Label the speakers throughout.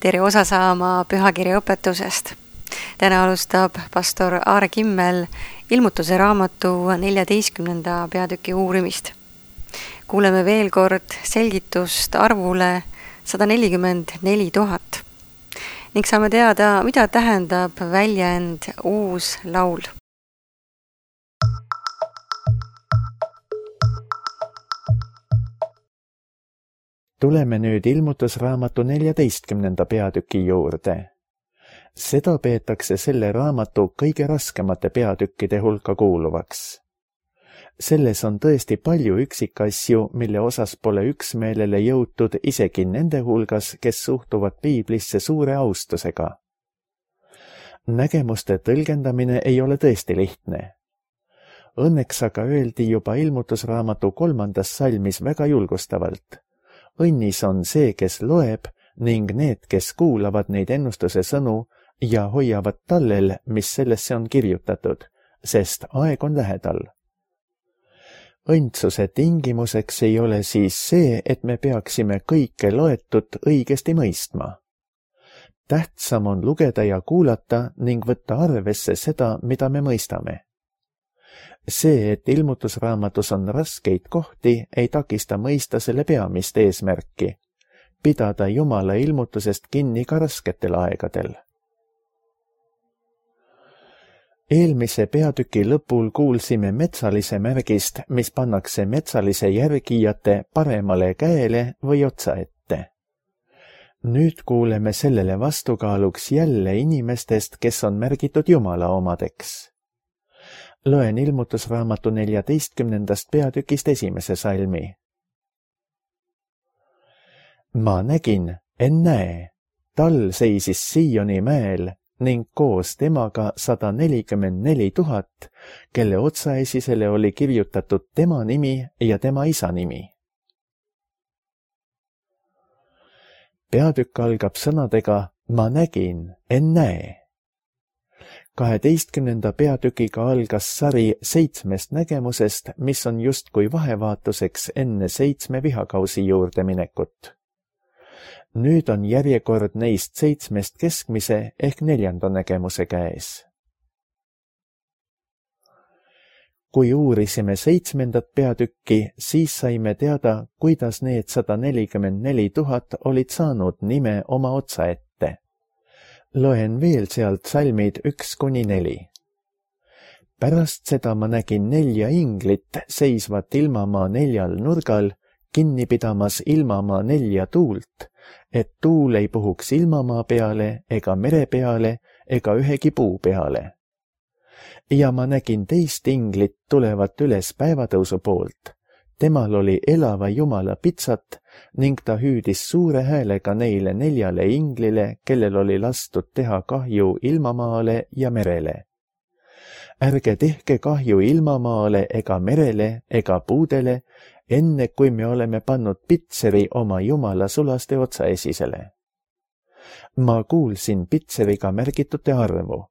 Speaker 1: tere osa saama pühakirja õpetusest. Täna alustab pastor Aare Kimmel ilmutuse raamatu 14. peatüki uurimist. Kuuleme veel kord selgitust arvule 144 000 ning saame teada, mida tähendab väljend uus laul.
Speaker 2: Tuleme nüüd ilmutusraamatu 14. peatüki juurde. Seda peetakse selle raamatu kõige raskemate peatükkide hulka kuuluvaks. Selles on tõesti palju üksikasju, mille osas pole üksmeelele jõutud isegi nende hulgas, kes suhtuvad piiblisse suure austusega. Nägemuste tõlgendamine ei ole tõesti lihtne. Õnneks aga öeldi juba ilmutusraamatu 3. salmis väga julgustavalt. Õnnis on see, kes loeb, ning need, kes kuulavad neid ennustuse sõnu ja hoiavad tallel, mis sellesse on kirjutatud, sest aeg on lähedal. Õndsuse tingimuseks ei ole siis see, et me peaksime kõike loetut õigesti mõistma. Tähtsam on lugeda ja kuulata ning võtta arvesse seda, mida me mõistame. See, et ilmutusraamatus on raskeid kohti, ei takista mõista selle peamist eesmärki, pidada Jumala ilmutusest kinni ka rasketel aegadel. Eelmise peatüki lõpul kuulsime metsalise märgist, mis pannakse metsalise järgijate paremale käele või otsa ette. Nüüd kuuleme sellele vastukaaluks jälle inimestest, kes on märgitud Jumala omadeks. Loen ilmutusraamatu 14. peatükist 1. salmi. Ma nägin, ennäe, tal seisis Sioni mäel ning koos temaga 144 000, kelle otsaesisele oli kirjutatud tema nimi ja tema isa nimi. Peatükk algab sõnadega ma nägin, ennäe. 12. peatükiga algas sari 7 nägemusest, mis on justkui vahevaatuseks enne 7 vihakausi juurde minekut. Nüüd on järjekord neist 7 keskmise ehk 4. nägemuse käes. Kui uurisime 7. peatükki, siis saime teada, kuidas need 144 000 olid saanud nime oma otsa ette. Loen veel sealt salmid 1-4. Pärast seda ma nägin 4 inglit seisvat ilmamaa 4 nurgal, kinni pidamas ilmamaa 4 tuult, et tuul ei puhuks ilmamaa peale ega mere peale ega ühegi puu peale. Ja ma nägin teist inglit tulevat üles päevatõusu poolt. Temal oli elava Jumala pitsat ning ta hüüdis suure häälega neile 4 inglile, kellel oli lastud teha kahju ilmamaale ja merele. Ärge tehke kahju ilmamaale ega merele ega puudele, enne kui me oleme pannud pitseri oma Jumala sulaste otsaesisele. Ma kuulsin pitseriga märgitute arvu.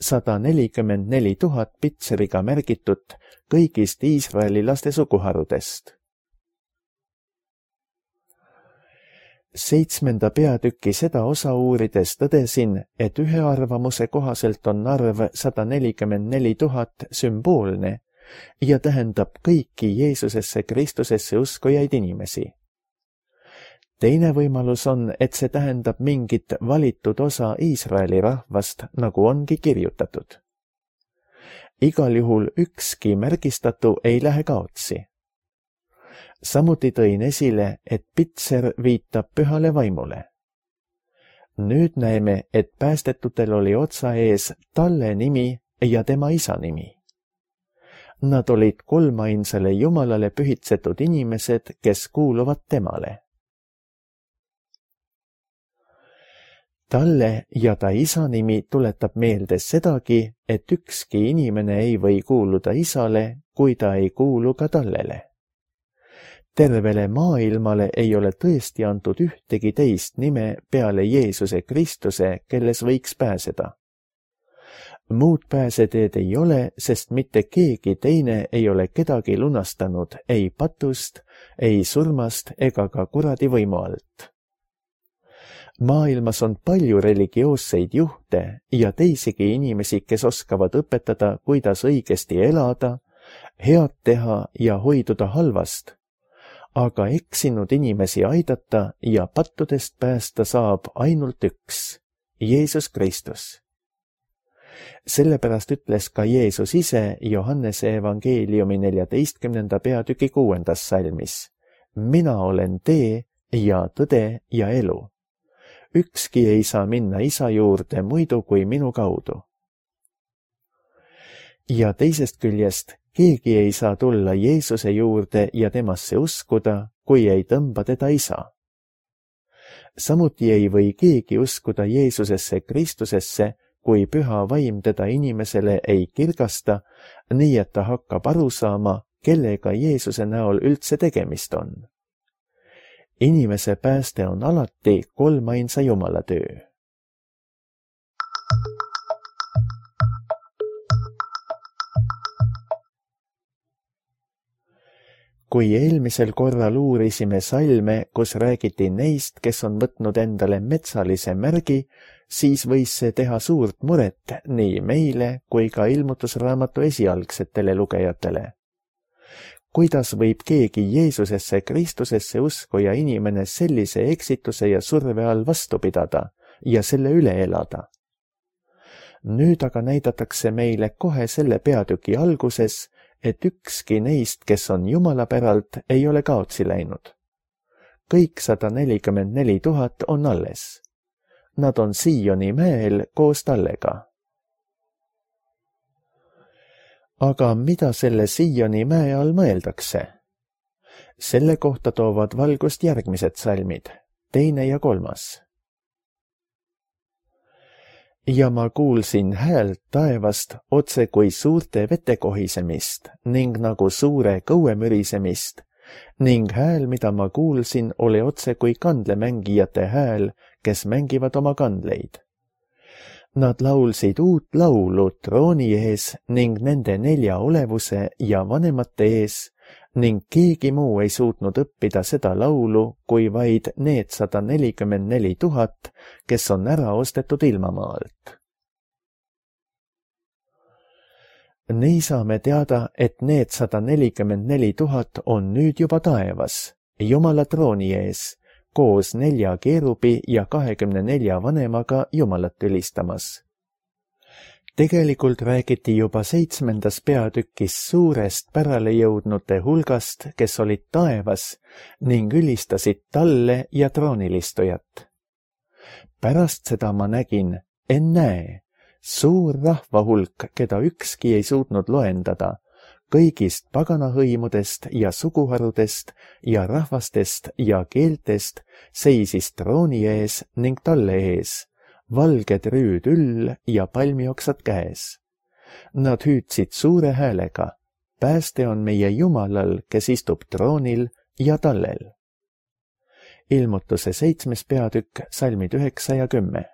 Speaker 2: 144 000 pitseriga märgitut kõigist Iisraeli laste suguharudest. 7. peatüki seda osa uurides tõdesin, et ühe arvamuse kohaselt on arv 144 000 sümboolne ja tähendab kõiki Jeesusesse Kristusesse uskujaid inimesi. Teine võimalus on, et see tähendab mingit valitud osa Iisraeli rahvast, nagu ongi kirjutatud. Igal juhul ükski märgistatu ei lähe kaotsi. Samuti tõin esile, et pitser viitab pühale vaimule. Nüüd näeme, et päästetutel oli otsa ees talle nimi ja tema isa nimi. Nad olid kolmainsale Jumalale pühitsetud inimesed, kes kuuluvad temale. Talle ja ta isa nimi tuletab meelde sedagi, et ükski inimene ei või kuuluda isale, kui ta ei kuulu ka tallele. Tervele maailmale ei ole tõesti antud ühtegi teist nime peale Jeesuse Kristuse, kelles võiks pääseda. Muud pääseteed ei ole, sest mitte keegi teine ei ole kedagi lunastanud ei patust, ei surmast ega ka kuradi võimu alt. Maailmas on palju religioosseid juhte ja teisigi inimesi, kes oskavad õpetada, kuidas õigesti elada, head teha ja hoiduda halvast. Aga eksinud inimesi aidata ja pattudest päästa saab ainult üks, Jeesus Kristus. Sellepärast ütles ka Jeesus ise Johannese evangeeliumi 14. peatüki 6. salmis. Mina olen tee ja tõde ja elu. Ükski ei saa minna Isa juurde muidu kui minu kaudu. Ja teisest küljest keegi ei saa tulla Jeesuse juurde ja temasse uskuda, kui ei tõmba teda Isa. Samuti ei või keegi uskuda Jeesusesse Kristusesse, kui püha vaim teda inimesele ei kirgasta, nii et ta hakkab aru saama, kellega Jeesuse näol üldse tegemist on. Inimese pääste on alati kolmainsa Jumala töö. Kui eelmisel korral uurisime salme, kus räägiti neist, kes on võtnud endale metsalise märgi, siis võis see teha suurt muret nii meile kui ka ilmutusraamatu esialgsetele lugejatele. Kuidas võib keegi Jeesusesse Kristusesse uskuja inimene sellise eksituse ja surve all vastu pidada ja selle üle elada? Nüüd aga näidatakse meile kohe selle peatüki alguses, et ükski neist, kes on Jumala päralt, ei ole kaotsi läinud. Kõik 144 000 on alles. Nad on Sioni mäel koos tallega. Aga mida selle Sioni mäe all mõeldakse? Selle kohta toovad valgust järgmised salmid, 2. ja 3. Ja ma kuulsin häält taevast otse kui suurte vete kohisemist ning nagu suure kõue mürisemist ning hääl, mida ma kuulsin, oli otse kui kandlemängijate hääl, kes mängivad oma kandleid. Nad laulsid uut laulu trooni ees ning nende 4 olevuse ja vanemate ees ning keegi muu ei suutnud õppida seda laulu, kui vaid need 144 000, kes on ära ostetud ilmamaalt. Nii saame teada, et need 144 000 on nüüd juba taevas, Jumala trooni ees, koos 4 keerubi ja 24 vanemaga Jumalat ülistamas. Tegelikult räägiti juba 7. peatükis suurest pärale jõudnute hulgast, kes olid taevas ning ülistasid talle ja troonilistujat. Pärast seda ma nägin, ennäe, suur rahvahulk, keda ükski ei suutnud loendada, kõigist paganahõimudest ja suguharudest ja rahvastest ja keeltest seisis trooni ees ning talle ees, valged rüüd üll ja palmioksad käes. Nad hüüdsid suure häälega, pääste on meie Jumalal, kes istub troonil ja tallel. Ilmutuse 7. peatükk, salmid 9 ja 10.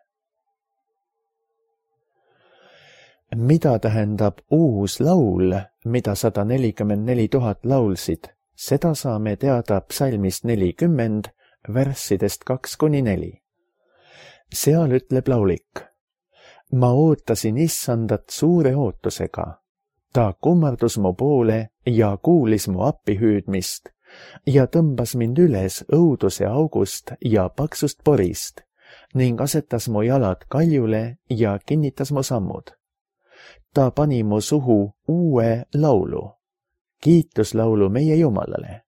Speaker 2: Mida tähendab uus laul, mida 144 000 laulsid, seda saame teada psalmist 40, värssidest 2-4. Seal ütleb laulik, ma ootasin issandat suure ootusega. Ta kummardus mu poole ja kuulis mu appihüüdmist ja tõmbas mind üles õuduse august ja paksust porist ning asetas mu jalad kaljule ja kinnitas mu sammud. Ta pani mu suhu uue laulu, kiituslaulu meie Jumalale.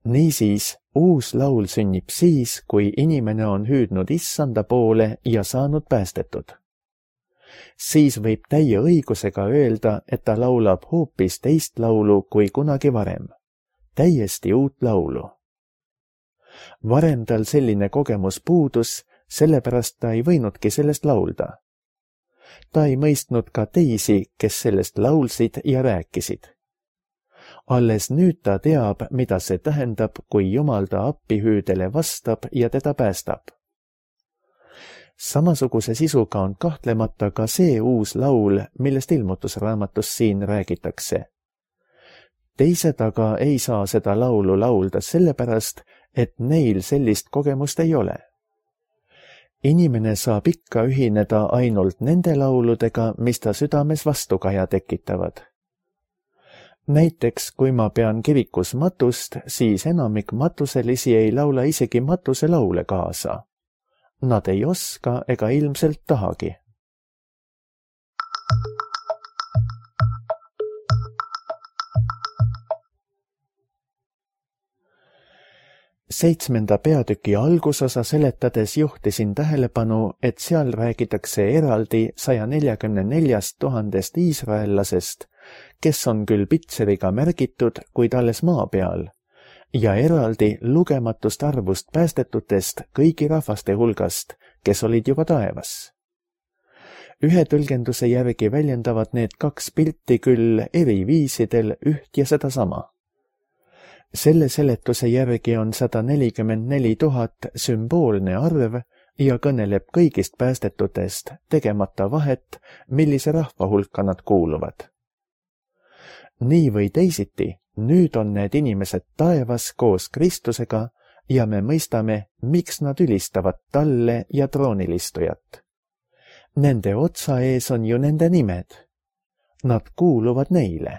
Speaker 2: Niisiis, uus laul sünnib siis, kui inimene on hüüdnud issanda poole ja saanud päästetud. Siis võib täie õigusega öelda, et ta laulab hoopis teist laulu kui kunagi varem. Täiesti uut laulu. Varem tal selline kogemus puudus, sellepärast ta ei võinudki sellest laulda. Ta ei mõistnud ka teisi, kes sellest laulsid ja rääkisid. Alles nüüd ta teab, mida see tähendab, kui Jumal ta appihüüdele vastab ja teda päästab. Samasuguse sisuga on kahtlemata ka see uus laul, millest ilmutusraamatus siin räägitakse. Teised aga ei saa seda laulu laulda sellepärast, et neil sellist kogemust ei ole. Inimene saab ikka ühineda ainult nende lauludega, mis ta südames vastukaja tekitavad. Näiteks, kui ma pean kirikus matust, siis enamik matuselisi ei laula isegi matuselaule kaasa. Nad ei oska ega ilmselt tahagi. Seitsmenda peatüki algusosa seletades juhtisin tähelepanu, et seal räägitakse eraldi 144 000 iisraellasest, kes on küll pitseriga märgitud, kuid alles maa peal, ja eraldi lugematust arvust päästetutest kõigi rahvaste hulgast, kes olid juba taevas. Ühe tõlgenduse järgi väljendavad need kaks pilti küll eri viisidel üht ja sedasama. Selle seletuse järgi on 144 000 sümboolne arv ja kõneleb kõigist päästetutest, tegemata vahet, millise rahva hulka nad kuuluvad. Nii või teisiti, nüüd on need inimesed taevas koos Kristusega ja me mõistame, miks nad ülistavad talle ja troonilistujat. Nende otsa ees on ju nende nimed. Nad kuuluvad neile.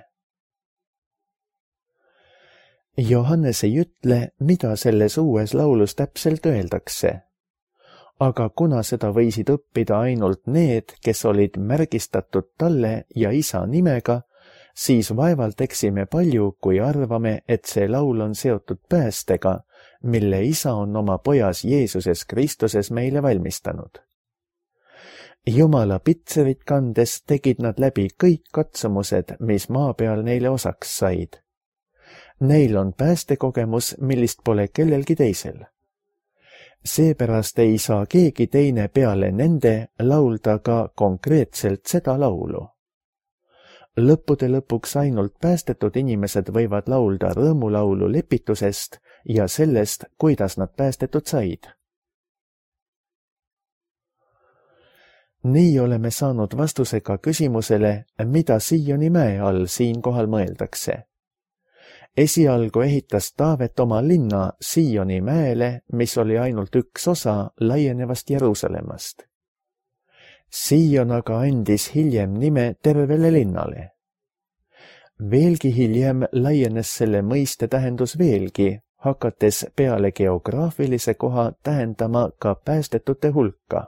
Speaker 2: Johannes ei ütle, mida selles uues laulus täpselt öeldakse. Aga kuna seda võisid õppida ainult need, kes olid märgistatud talle ja isa nimega, siis vaevalt eksime palju, kui arvame, et see laul on seotud päästega, mille isa on oma pojas Jeesuses Kristuses meile valmistanud. Jumala pitserit kandes tegid nad läbi kõik katsumused, mis maa peal neile osaks said. Neil on päästekogemus, millist pole kellelgi teisel. Seepärast ei saa keegi teine peale nende laulda ka konkreetselt seda laulu. Lõppude lõpuks ainult päästetud inimesed võivad laulda rõõmulaulu lepitusest ja sellest, kuidas nad päästetud said. Nii oleme saanud vastuse ka küsimusele, mida Sioni mäe all siinkohal mõeldakse. Esialgu ehitas Taavet oma linna Sioni mäele, mis oli ainult üks osa laienevast Jeruusalemmast. Sion aga andis hiljem nime tervele linnale. Veelgi hiljem laienes selle mõiste tähendus veelgi, hakates peale geograafilise koha tähendama ka päästetute hulka.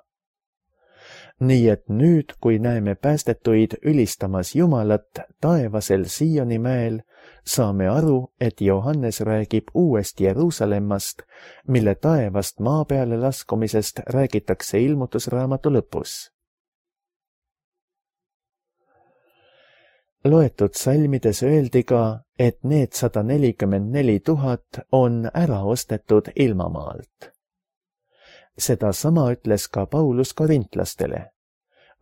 Speaker 2: Nii et nüüd, kui näeme päästetuid ülistamas Jumalat taevasel Sioni mäel, saame aru, et Johannes räägib uuest Jeruusalemmast, mille taevast maa peale laskumisest räägitakse ilmutusraamatu lõpus. Loetud salmides öeldi ka, et need 144 000 on ära ostetud ilmamaalt. Sedasama ütles ka Paulus korintlastele.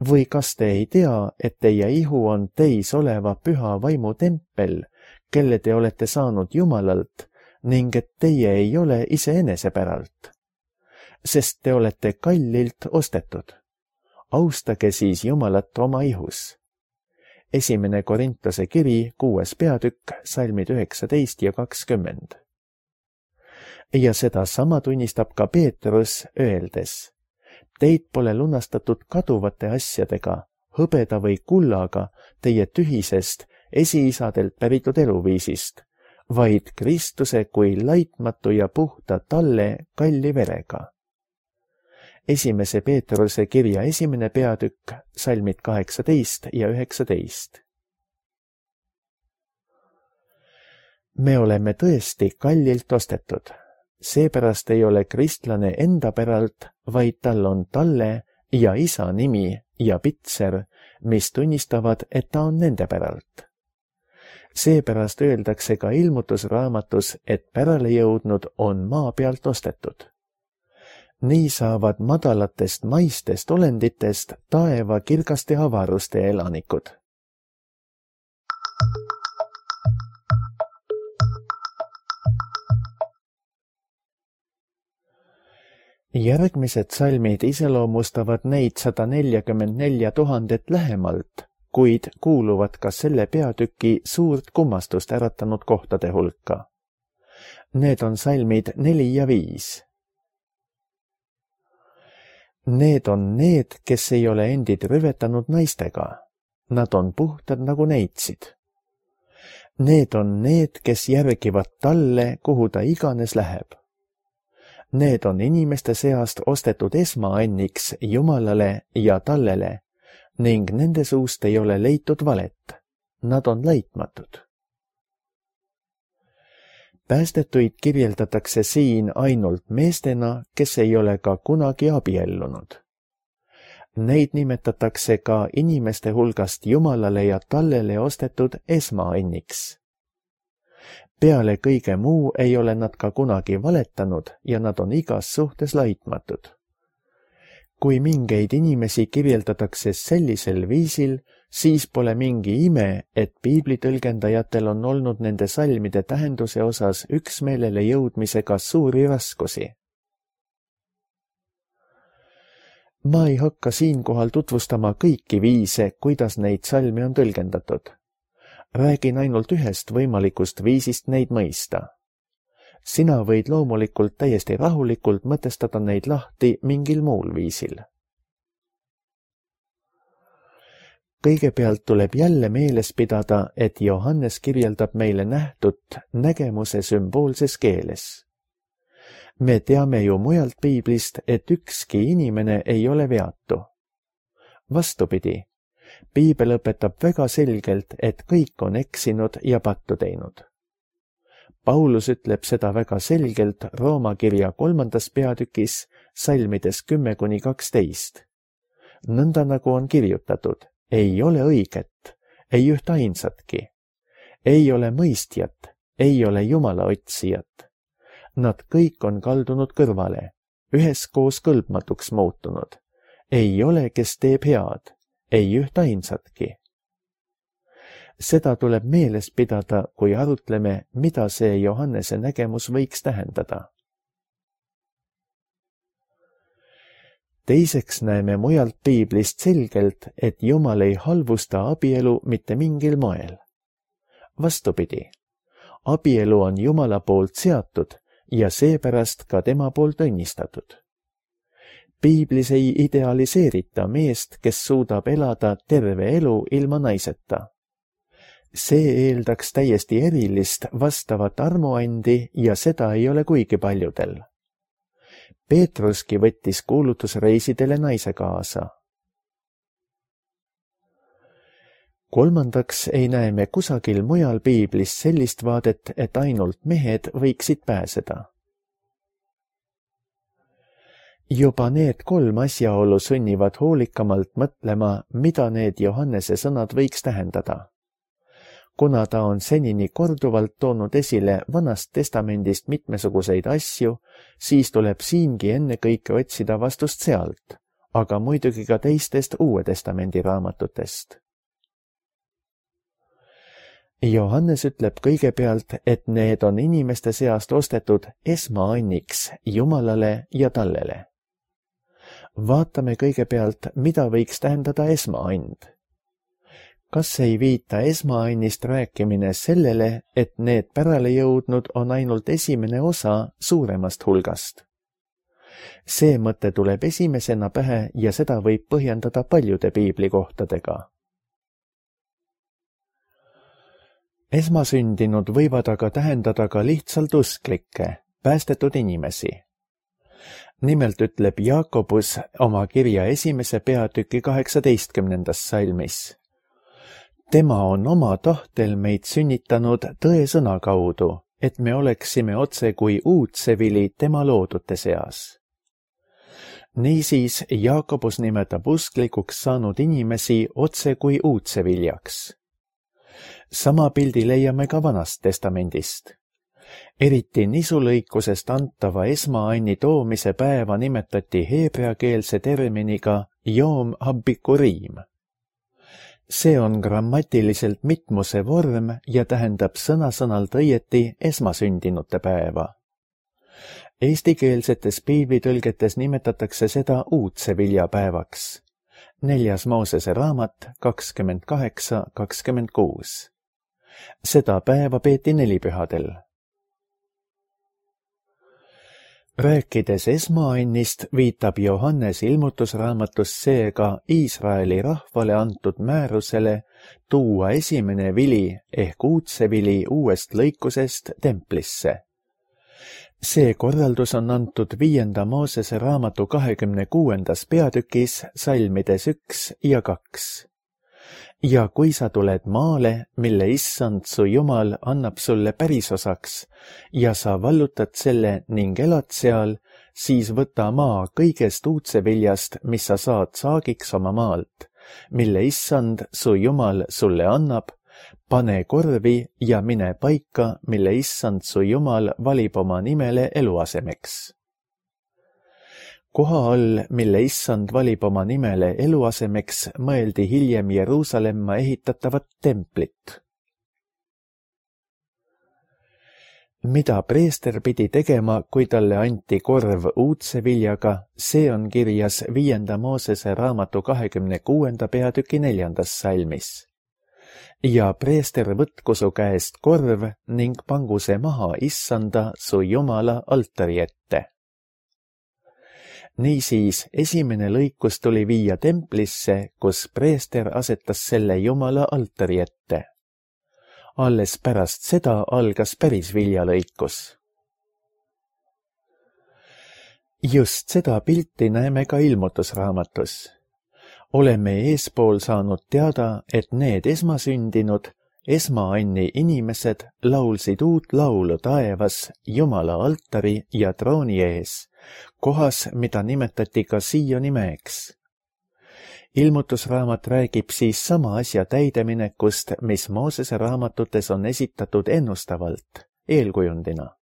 Speaker 2: Või kas te ei tea, et teie ihu on teis oleva püha vaimu tempel, kelle te olete saanud Jumalalt, ning et teie ei ole iseenese päralt? Sest te olete kallilt ostetud. Austage siis Jumalat oma ihus. 1. Korintuse kiri, 6. peatükk, salmid 19 ja 20. Ja sedasama tunnistab ka Peetrus öeldes, teid pole lunastatud kaduvate asjadega, hõbeda või kullaga, teie tühisest esiisadelt päritud eluviisist, vaid Kristuse kui laitmatu ja puhta talle kalli verega. 1. Peetruse kirja 1. peatükk, salmid 18 ja 19. Me oleme tõesti kallilt ostetud. Seepärast ei ole kristlane enda päralt, vaid tal on talle ja isa nimi ja pitser, mis tunnistavad, et ta on nende päralt. Seepärast öeldakse ka ilmutusraamatus, et pärale jõudnud on maa pealt ostetud. Nii saavad madalatest maistest olenditest taeva kirgaste avaruste elanikud. Järgmised salmid iseloomustavad neid 144 000 lähemalt, kuid kuuluvad ka selle peatüki suurt kummastust äratanud kohtade hulka. Need on salmid 4 ja 5. Need on need, kes ei ole endid rüvetanud naistega. Nad on puhtad nagu neitsid. Need on need, kes järgivad talle, kuhu ta iganes läheb. Need on inimeste seast ostetud esmaanniks Jumalale ja tallele ning nende suust ei ole leitud valet. Nad on laitmatud. Päästetuid kirjeldatakse siin ainult meestena, kes ei ole ka kunagi abiellunud. Neid nimetatakse ka inimeste hulgast Jumalale ja tallele ostetud esmaanniks. Peale kõige muu ei ole nad ka kunagi valetanud ja nad on igas suhtes laitmatud. Kui mingeid inimesi kirjeldatakse sellisel viisil, siis pole mingi ime, et piiblitõlgendajatel on olnud nende salmide tähenduse osas üksmeelele jõudmisega suuri raskusi. Ma ei hakka siinkohal tutvustama kõiki viise, kuidas neid salmi on tõlgendatud. Räägin ainult ühest võimalikust viisist neid mõista. Sina võid loomulikult täiesti rahulikult mõtestada neid lahti mingil muul viisil. Kõigepealt tuleb jälle meeles pidada, et Johannes kirjeldab meile nähtut nägemuse sümboolses keeles. Me teame ju mujalt piiblist, et ükski inimene ei ole veatu. Vastupidi, piibel õpetab väga selgelt, et kõik on eksinud ja pattu teinud. Paulus ütleb seda väga selgelt Rooma kirja 3. peatükis salmides 10-12. Nõnda nagu on kirjutatud, ei ole õiget, ei üht ainsatki. Ei ole mõistjat, ei ole Jumala otsijat. Nad kõik on kaldunud kõrvale, üheskoos kõlbmatuks muutunud. Ei ole, kes teeb head, ei üht ainsatki. Seda tuleb meeles pidada, kui arutleme, mida see Johannese nägemus võiks tähendada. Teiseks näeme mujalt piiblist selgelt, et Jumal ei halvusta abielu mitte mingil moel. Vastupidi, abielu on Jumala poolt seatud ja seepärast ka tema poolt õnnistatud. Piiblis ei idealiseerita meest, kes suudab elada terve elu ilma naiseta. See eeldaks täiesti erilist vastavat armuandi ja seda ei ole kuigi paljudel. Peetruski võttis kuulutusreisidele naise kaasa. Kolmandaks ei näe me kusagil mujal piiblis sellist vaadet, et ainult mehed võiksid pääseda. Juba need 3 asjaolu sunnivad hoolikamalt mõtlema, mida need Johannese sõnad võiks tähendada. Kuna ta on senini korduvalt toonud esile Vanast Testamendist mitmesuguseid asju, siis tuleb siingi ennekõike otsida vastust sealt, aga muidugi ka teistest Uue Testamendi raamatutest. Johannes ütleb kõigepealt, et need on inimeste seast ostetud esmaanniks Jumalale ja tallele. Vaatame kõigepealt, mida võiks tähendada esmaand. Kas ei viita esmaannist rääkimine sellele, et need pärale jõudnud on ainult esimene osa suuremast hulgast? See mõte tuleb esimesena pähe ja seda võib põhjendada paljude piiblikohtadega. Esmasündinud võivad aga tähendada ka lihtsalt usklikke, päästetud inimesi. Nimelt ütleb Jaakobus oma kirja 1. peatüki 18. salmis. Tema on oma tahtel meid sünnitanud tõe sõna kaudu, et me oleksime otse kui uudsevili tema loodute seas. Niisiis Jaakobus nimetab usklikuks saanud inimesi otse kui uudseviljaks. Sama pildi leiame ka Vanast Testamendist. Eriti nisulõikusest antava esmaanni toomise päeva nimetati heebreakeelse terminiga Yom HaBikurim. See on grammatiliselt mitmuse vorm ja tähendab sõna-sõnalt õieti esmasündinute päeva. Eestikeelsetes piiblitõlgetes nimetatakse seda uudse viljapäevaks. 4. Moosese raamat 28-26. Seda päeva peeti nelipühadel. Rääkides esmaannist, viitab Johannes ilmutusraamatus seega Iisraeli rahvale antud määrusele tuua esimene vili ehk uudsevili uuest lõikusest templisse. See korraldus on antud 5. Moosese raamatu 26. peatükis salmides 1 ja 2. Ja kui sa tuled maale, mille issand su Jumal annab sulle pärisosaks ja sa vallutad selle ning elad seal, siis võta maa kõigest uudseviljast, mis sa saad saagiks oma maalt, mille issand su Jumal sulle annab, pane korvi ja mine paika, mille issand su Jumal valib oma nimele eluasemeks. Koha all, mille issand valib oma nimele eluasemeks, mõeldi hiljem Jeruusalemma ehitatavat templit. Mida preester pidi tegema, kui talle anti korv uudse viljaga, see on kirjas 5. Moosese raamatu 26. peatüki 4. salmis. Ja preester võtku su käest korv ning pangu see maha issanda su Jumala altari ette. Niisiis, esimene lõikus tuli viia templisse, kus preester asetas selle Jumala altari ette. Alles pärast seda algas päris viljalõikus. Just seda pilti näeme ka ilmutusraamatus. Oleme eespool saanud teada, et need esmasündinud, esmaanni inimesed laulsid uut laulu taevas Jumala altari ja trooni ees, kohas, mida nimetati ka Sioni mäeks. Ilmutusraamat räägib siis sama asja täideminekust, mis Moosese raamatutes on esitatud ennustavalt, eelkujundina.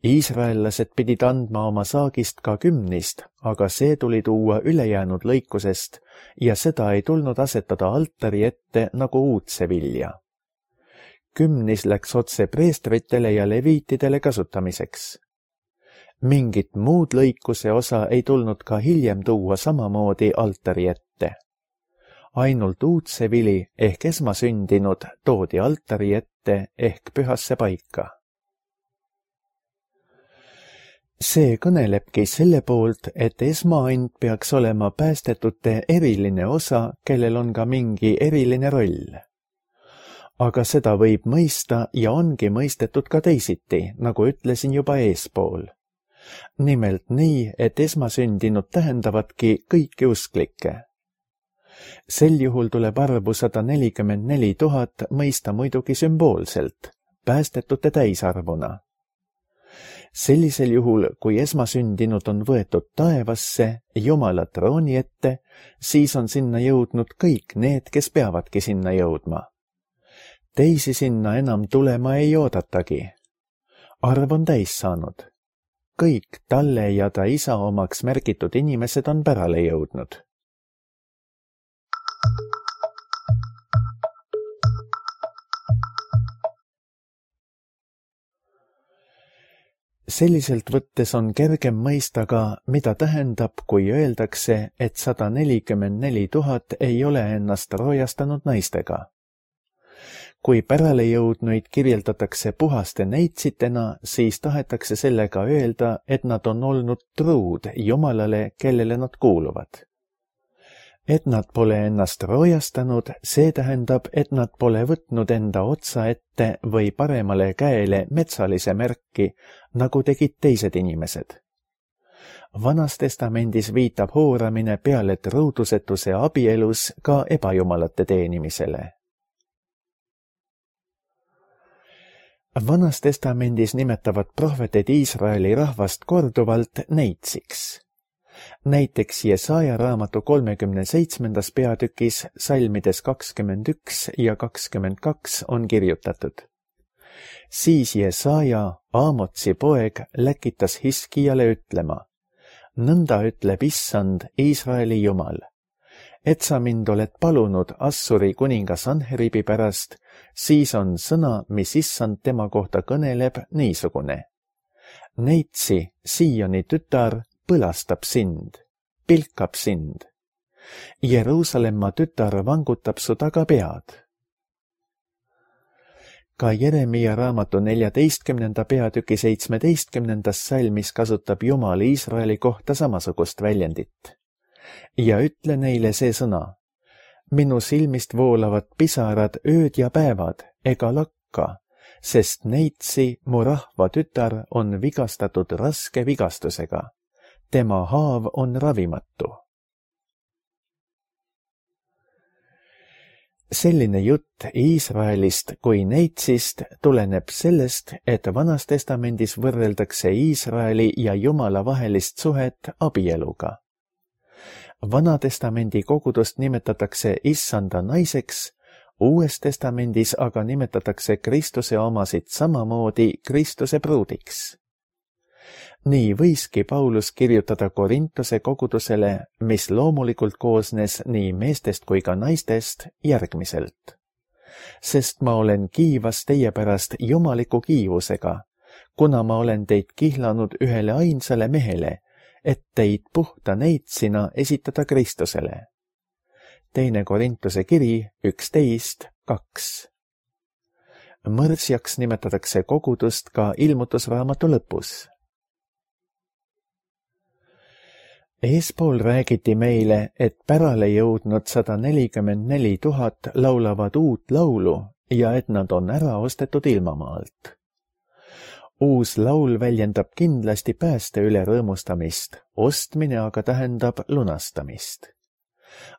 Speaker 2: Iisraellased pidid andma oma saagist ka kümnist, aga see tuli tuua ülejäänud lõikusest ja seda ei tulnud asetada altari ette nagu uudse vilja. Kümnis läks otse preestritele ja leviitidele kasutamiseks. Mingit muud lõikuse osa ei tulnud ka hiljem tuua samamoodi altari ette. Ainult uudse vili ehk esmasündinud toodi altari ette ehk pühasse paika. See kõnelebki selle poolt, et esmaand peaks olema päästetute eriline osa, kellel on ka mingi eriline roll. Aga seda võib mõista ja ongi mõistetud ka teisiti, nagu ütlesin juba eespool. Nimelt nii, et esmasündinud tähendavadki kõiki usklikke. Sel juhul tuleb arvu 144 000 mõista muidugi sümboolselt, päästetute täisarvuna. Sellisel juhul, kui esmasündinud on võetud taevasse, Jumala trooni ette, siis on sinna jõudnud kõik need, kes peavadki sinna jõudma. Teisi sinna enam tulema ei oodatagi. Arv on täis saanud. Kõik talle ja ta isa omaks märgitud inimesed on pärale jõudnud. Selliselt võttes on kergem mõista ka, mida tähendab, kui öeldakse, et 144 000 ei ole ennast roojastanud naistega. Kui pärale jõudnuid kirjeldatakse puhaste neitsitena, siis tahetakse sellega öelda, et nad on olnud truud Jumalale, kellele nad kuuluvad. Et nad pole ennast roojastanud, see tähendab, et nad pole võtnud enda otsa ette või paremale käele metsalise märki, nagu tegid teised inimesed. Vanas testamendis viitab hooramine peale truudusetuse abielus ka ebajumalate teenimisele. Vanas testamendis nimetavad prohveted Iisraeli rahvast korduvalt neitsiks. Näiteks Jesaja raamatu 37. peatükis salmides 21 ja 22 on kirjutatud. Siis Jesaja, Aamotsi poeg, läkitas Hiskijale ütlema: nõnda ütleb issand, Iisraeli Jumal, et sa mind oled palunud Assuri kuninga Sanheribi pärast, siis on sõna, mis issand tema kohta kõneleb, niisugune. Neitsi, Sioni tütar, põlastab sind, pilkab sind. Jeruusalemma tütar vangutab su taga pead. Ka Jeremia raamatu 14. peatüki 17. salmis kasutab Jumal Iisraeli kohta samasugust väljendit. Ja ütle neile see sõna. Minu silmist voolavad pisarad ööd ja päevad ega lakka, sest neitsi mu rahva tütar on vigastatud raske vigastusega. Tema haav on ravimatu. Selline jutt Iisraelist kui neitsist tuleneb sellest, et Vanas Testamendis võrreldakse Iisraeli ja Jumala vahelist suhet abieluga. Vana Testamendi kogudust nimetatakse issanda naiseks, Uues Testamendis aga nimetatakse Kristuse omasid samamoodi Kristuse pruudiks. Nii võiski Paulus kirjutada Korintuse kogudusele, mis loomulikult koosnes nii meestest kui ka naistest, järgmiselt. Sest ma olen kiivas teie pärast jumaliku kiivusega, kuna ma olen teid kihlanud ühele ainsale mehele, et teid puhta neitsina esitada Kristusele. 2. Korintuse kiri 11:2. Mõrsjaks nimetatakse kogudust ka ilmutusraamatu lõpus. Eespool räägiti meile, et pärale jõudnud 144 000 laulavad uut laulu ja et nad on ära ostetud ilmamaalt. Uus laul väljendab kindlasti pääste üle rõõmustamist, ostmine aga tähendab lunastamist.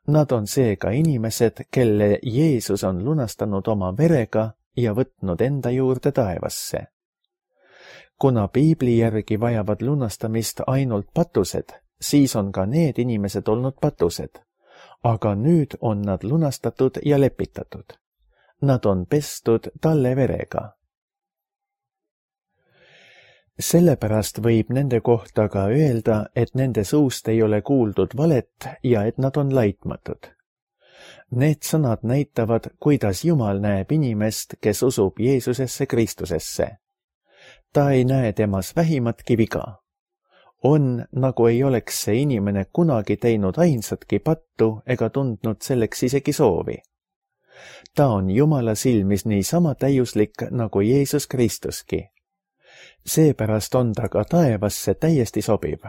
Speaker 2: Nad on seega inimesed, kelle Jeesus on lunastanud oma verega ja võtnud enda juurde taevasse. Kuna piibli järgi vajavad lunastamist ainult patused, siis on ka need inimesed olnud patused, aga nüüd on nad lunastatud ja lepitatud. Nad on pestud talle verega. Sellepärast võib nende kohta ka öelda, et nende suust ei ole kuuldud valet ja et nad on laitmatud. Need sõnad näitavad, kuidas Jumal näeb inimest, kes usub Jeesusesse Kristusesse. Ta ei näe temas vähimatki viga. On, nagu ei oleks see inimene kunagi teinud ainsatki pattu ega tundnud selleks isegi soovi. Ta on Jumala silmis niisama täiuslik nagu Jeesus Kristuski. Seepärast on ta ka taevasse täiesti sobiv.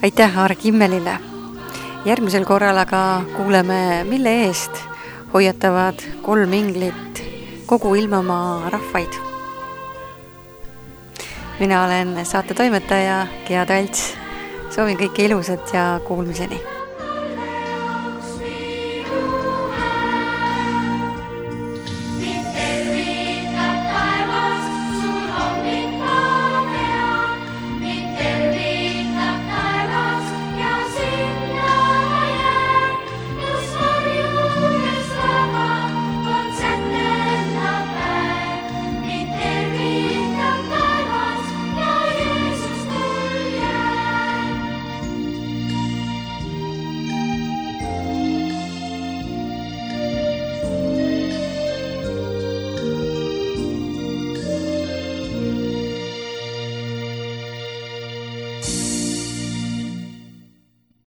Speaker 1: Aitäh Arg Immelile! Järgmisel korral aga kuuleme, mille eest hoiatavad 3 inglit kogu ilmamaa rahvaid. Mina olen saate toimetaja Gea Talts. Soovin kõike ilusat ja kuulmiseni!